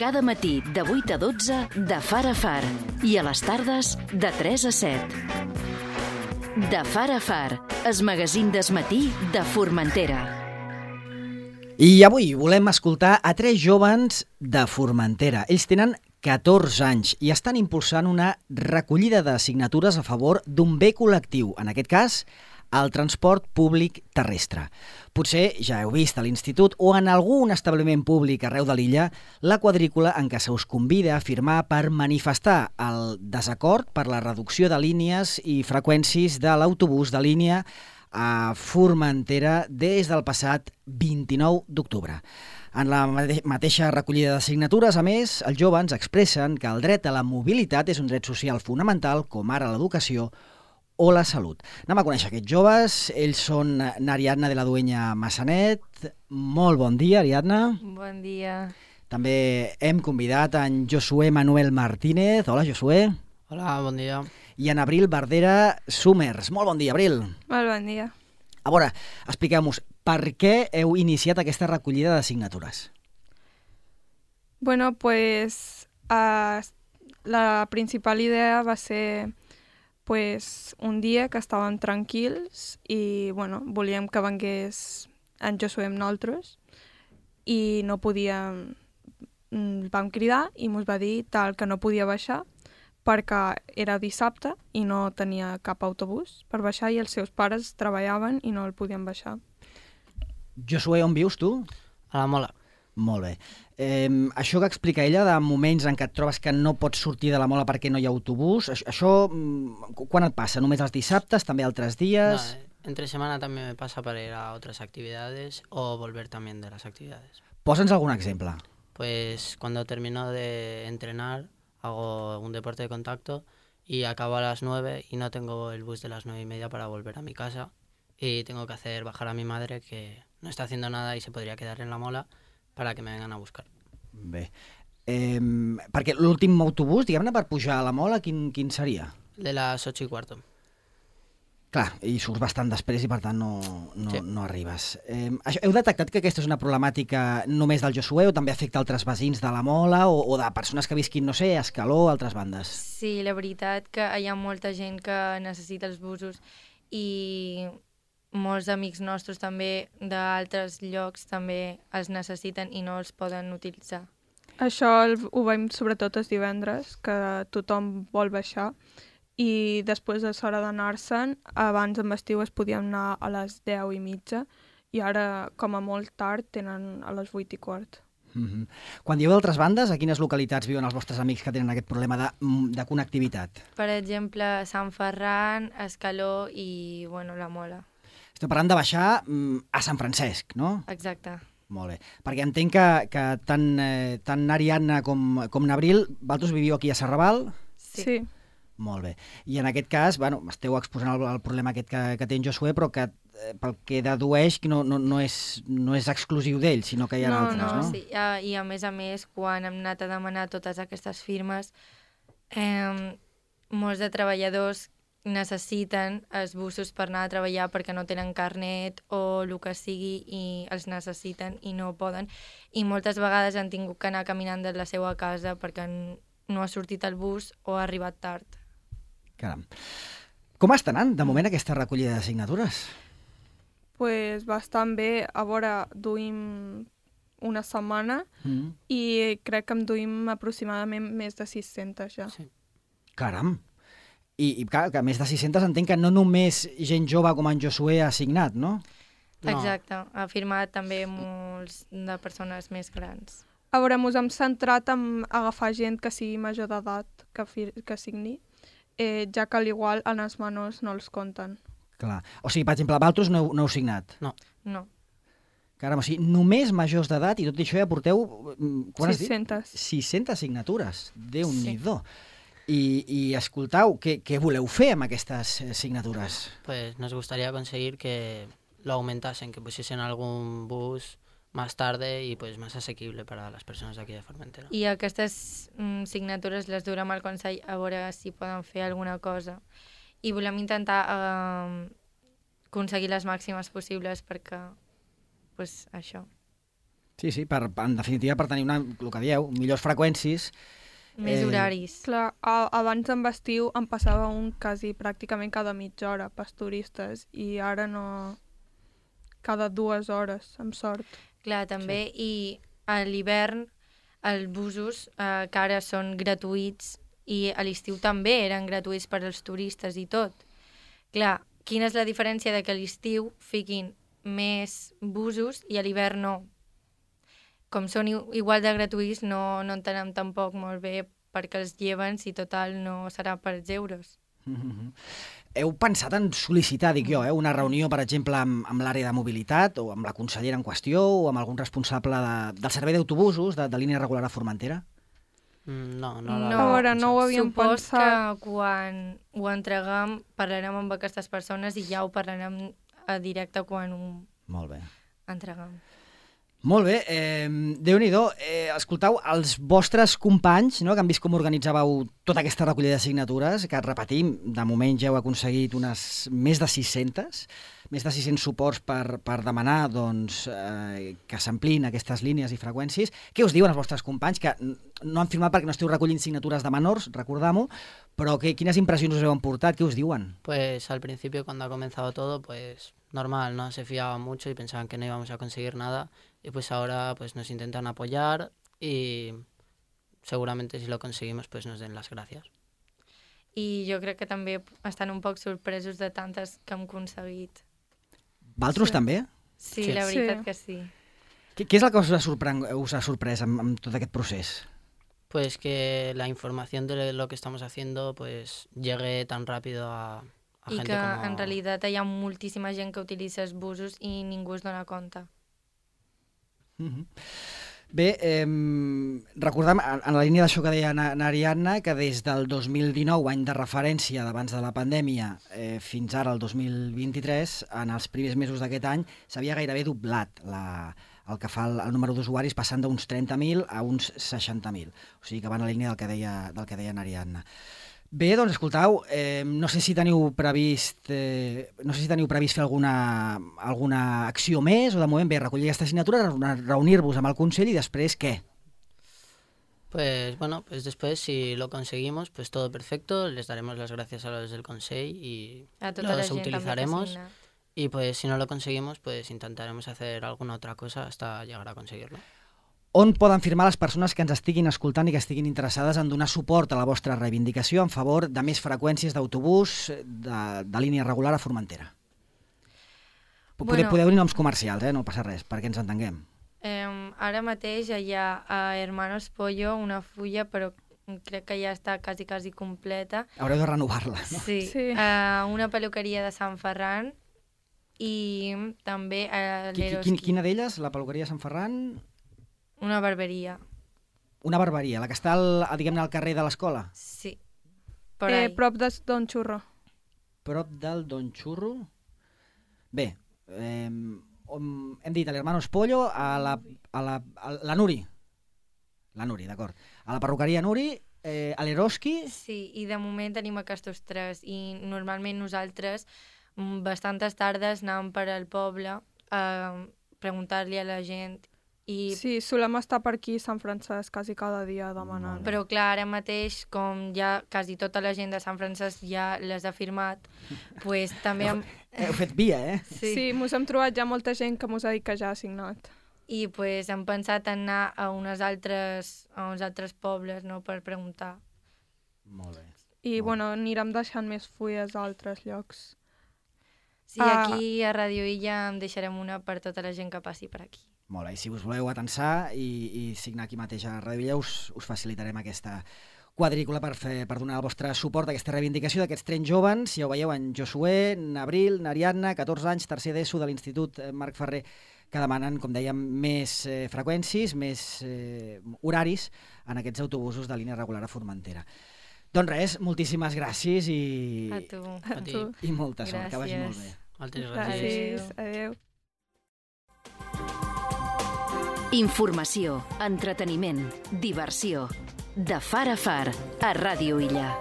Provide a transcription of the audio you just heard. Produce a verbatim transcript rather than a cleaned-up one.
Cada matí de vuit a dotze de Far a Far i a les tardes de tres a set. De Far a Far, el magazín d'esmatí de Formentera. I avui volem escoltar a tres jóvens de Formentera. Ells tenen catorze anys i estan impulsant una recollida de signatures a favor d'un bé col·lectiu, en aquest cas, el transport públic terrestre. Potser ja heu vist a l'institut o en algun establiment públic arreu de l'illa la quadrícula en què se us convida a firmar per manifestar el desacord per la reducció de línies i freqüències de l'autobús de línia a Formentera des del passat vint-i-nou d'octubre. En la mateixa recollida de signatures, a més, els joves expressen que el dret a la mobilitat és un dret social fonamental, com ara l'educació o la salut. Anem a conèixer aquests joves. Ells són n'Ariadna de la Duenya Massanet. Molt bon dia, Ariadna. Bon dia. També hem convidat en Josué Manuel Martínez. Hola, Josué. Hola, bon dia. I en Abril Bardera Summers. Molt bon dia, Abril. Molt bon dia. A veure, expliqueu-nos, per què heu iniciat aquesta recollida de signatures? Bueno, pues uh, la principal idea va ser pues, un dia que estàvem tranquils i bueno, volíem que vengués en Josué amb nosaltres i no podíem... Vam cridar i ens va dir tal que no podia baixar perquè era dissabte i no tenia cap autobús per baixar i els seus pares treballaven i no el podien baixar. Josué, on vius tu? A la Mola. Molt bé. Eh, això que explica ella de moments en què et trobes que no pots sortir de la Mola perquè no hi ha autobús, això, això quan et passa? Només els dissabtes, també altres días? No, entre semana también me pasa para ir a otras actividades o volver también de las actividades. Posa'ns algun exemple. Pues cuando termino de entrenar hago un deporte de contacto y acabo a las nueve y no tengo el bus de las nueve y media para volver a mi casa y tengo que hacer bajar a mi madre que no está haciendo nada y se podría quedar en la Mola para que me vengan a buscar. Bé. Eh, perquè l'últim autobús, diguem-ne, per pujar a la Mola, quin, quin seria? De las ocho y cuarto. Clar, i surts bastant després i per tant no, no, Sí. no arribes. Eh, això, heu detectat que aquesta és una problemàtica només del Josué o també afecta altres veïns de la Mola o, o de persones que visquin, no sé, a Escaló o altres bandes? Sí, la veritat que hi ha molta gent que necessita els busos i molts amics nostres també d'altres llocs també els necessiten i no els poden utilitzar. Això el, ho veiem sobretot els divendres, que tothom vol baixar i després és hora d'anar-se'n. Abans en estiu es podíem anar a les deu i mitja i ara, com a molt tard, tenen a les vuit i quart. Mm-hmm. Quan dieu d'altres bandes, a quines localitats viuen els vostres amics que tenen aquest problema de, de connectivitat? Per exemple, Sant Ferran, Escaló i bueno, la Mola. Estem parlant de baixar mm, a Sant Francesc, no? Exacte. Molt bé. Perquè entenc que, que tant, eh, tant Ariadna com, com n'Abril, vosaltres viviu aquí a Serrabal? Sí. sí. Molt bé. I en aquest cas, bueno, esteu exposant el, el problema aquest que, que té en Josué, però que eh, pel que dedueix que no, no, no, és, no és exclusiu d'ell, sinó que hi ha no, altres, no? no? Sí. Uh, I a més a més, quan hem anat a demanar totes aquestes firmes, eh, molts de treballadors necessiten els busos per anar a treballar perquè no tenen carnet o el que sigui i els necessiten i no poden. I moltes vegades han tingut que anar caminant de la seva casa perquè no ha sortit el bus o ha arribat tard. Caram. Com està anant, de moment, aquesta recollida de signatures? Pues bastant bé. A veure, duim una setmana Mm. i crec que em duim aproximadament més de sis-centes ja. Sí. Caram. I, i clar, que més de sis-centes entenc que no només gent jove com en Josué ha signat, no? No. Exacte. Ha firmat també molts de persones més grans. A veure, mos hem centrat en agafar gent que sigui major d'edat que, fir- que signi, eh, ja que al igual en els menors no els compten. Clar. O sigui, per exemple, vosaltres no, heu- no heu signat. No. No. Caram, o sigui, només majors d'edat i tot això ja porteu... mm, quan has dit? sis-centes. sis-centes signatures. Déu-n'hi-do. I, i escoltau, què, què voleu fer amb aquestes eh, signatures? Pues nos gustaría conseguir que lo aumentasen, que pusiesen algún bus más tarde y pues más asequible para las personas de aquí de Formentera. I aquestes mm, signatures les durem al Consell a veure si poden fer alguna cosa. I volem intentar eh, aconseguir les màximes possibles perquè, pues, això. Sí, sí, per, en definitiva per tenir una, el que dieu, millors freqüències. Més Eh, horaris. Clar, a, abans en estiu em passava un quasi pràcticament cada mitja hora pels turistes i ara no... cada dues hores, amb sort. Clar, també, sí. I a l'hivern els busos eh, que ara són gratuïts i a l'estiu també eren gratuïts per als turistes i tot. Clar, quina és la diferència de que a l'estiu fiquin més busos i a l'hivern no? Com són igual de gratuïts, no, no entenem tampoc molt bé perquè els lleven si total no serà per els euros. Mm-hmm. Heu pensat en sol·licitar, dic jo, eh, una reunió, per exemple, amb, amb l'àrea de mobilitat o amb la consellera en qüestió o amb algun responsable de, del servei d'autobusos de, de línia regular a Formentera? Mm, no, no, No, la, a veure, no ho havíem Supos pensat. que quan ho entreguem parlarem amb aquestes persones i ja ho parlarem a directe quan ho Molt bé. entreguem. Molt bé, eh, Déu-n'hi-do, eh, escoltau, els vostres companys, no, que han vist com organitzàveu tota aquesta recollida de signatures, que repetim, de moment ja heu aconseguit unes més de sis-centes, més de sis-cents suports per, per demanar doncs, eh, que s'amplin aquestes línies i freqüències. Què us diuen els vostres companys, que no han firmat perquè no esteu recollint signatures de menors, recordam-ho, però que, quines impressions us heu emportat, què us diuen? Pues al principio, cuando ha comenzado todo, pues normal, ¿no? Se fiaban mucho y pensaban que no íbamos a conseguir nada. Y pues ahora pues nos intentan apoyar y seguramente si lo conseguimos pues nos den las gracias. I jo crec que també estan un poc sorpresos de tantes que hem aconseguit. Valtros Sí. també? Sí, Sí. la veritat Sí. que sí. Què, què és el que us ha, sorprèn, us ha sorprès amb, amb tot aquest procés? Pues que la información de lo que estamos haciendo pues llegue tan rápido a, a I gente que como... en realitat hi ha moltíssima gent que utilitza els busos i ningú es dona compte. Mm-hmm. Bé, eh, recordem, en en la línia d'això que deia na, na Ariadna, que des del dos mil dinou, any de referència d'abans de la pandèmia, eh, fins ara, el dos mil vint-i-tres, en els primers mesos d'aquest any, s'havia gairebé doblat la, el que fa el, el número d'usuaris, passant d'uns trenta mil a uns seixanta mil. O sigui que va en la línia del que deia, del que deia na Ariadna. Bé, doncs, escoltau, eh, no sé si teniu previst eh, no sé si teniu previst fer alguna, alguna acció més, o de moment, bé, recollir aquesta signatura, reunir-vos amb el Consell i després què? Pues bueno, pues después si lo conseguimos, pues todo perfecto, les daremos las gracias a los del Consell y A tota la los gent també que utilizaremos. signa. Y pues si no lo conseguimos, pues intentaremos hacer alguna otra cosa hasta llegar a conseguirlo. On poden firmar les persones que ens estiguin escoltant i que estiguin interessades en donar suport a la vostra reivindicació en favor de més freqüències d'autobús de, de línia regular a Formentera? Podeu, Bueno. podeu dir noms comercials, eh? No passa res, perquè ens entenguem. Eh, ara mateix hi ha a Hermanos Pollo una fulla, però crec que ja està quasi, quasi completa. Haureu de renovar-la, no? Sí, Sí. eh, una peluqueria de Sant Ferran i també a Qui- qui- l'Eroski. Quina, quina d'elles? La peluqueria Sant Ferran? Una barberia, Una barberia, la que està al, a, diguem-ne, al carrer de l'escola? sí. Per Eh, ahí. prop de Don Xurro. Prop del Don Xurro? Bé, eh, on, hem dit a l'Hermanos Pollo, a la, a la, a la Nuri. La Nuri, d'acord. A la perruqueria Nuri, eh, a l'Eroski... Sí, i de moment tenim aquests tres i normalment nosaltres mm, bastantes tardes anàvem per al poble a preguntar-li a la gent i Sí, solem estar per aquí a Sant Francesc quasi cada dia demanant. Molt bé. però clar, ara mateix, com ja quasi tota la gent de Sant Francesc ja les ha firmat, pues, també hem... Heu fet via, eh? Sí. Sí, mos hem trobat ja molta gent que mos ha dit que ja ha signat. I pues, hem pensat en anar a, unes altres, a uns altres pobles no, per preguntar. Molt bé. I, Molt bueno, anirem deixant més fulles a altres llocs. Sí, Ah. aquí a Radio Illa en deixarem una per tota la gent que passi per aquí. Molt bé, i si us voleu atensar i, i signar aquí mateix a Ràdio Illa, us, us facilitarem aquesta quadrícula per, fer, per donar el vostre suport a aquesta reivindicació d'aquests trens joves. Ja ho veieu, en Josué, en Abril, en Ariadna, catorze anys, tercer d'ESO de l'Institut Marc Ferrer, que demanen, com dèiem, més eh, freqüències, més eh, horaris en aquests autobusos de línia regular a Formentera. Doncs res, moltíssimes gràcies i, A tu. A ti. tu. i molta sort, que vagi Gràcies. molt bé. Moltes gràcies. Gràcies. Adéu. Informació, entreteniment, diversió. De far a far, a Ràdio Illa.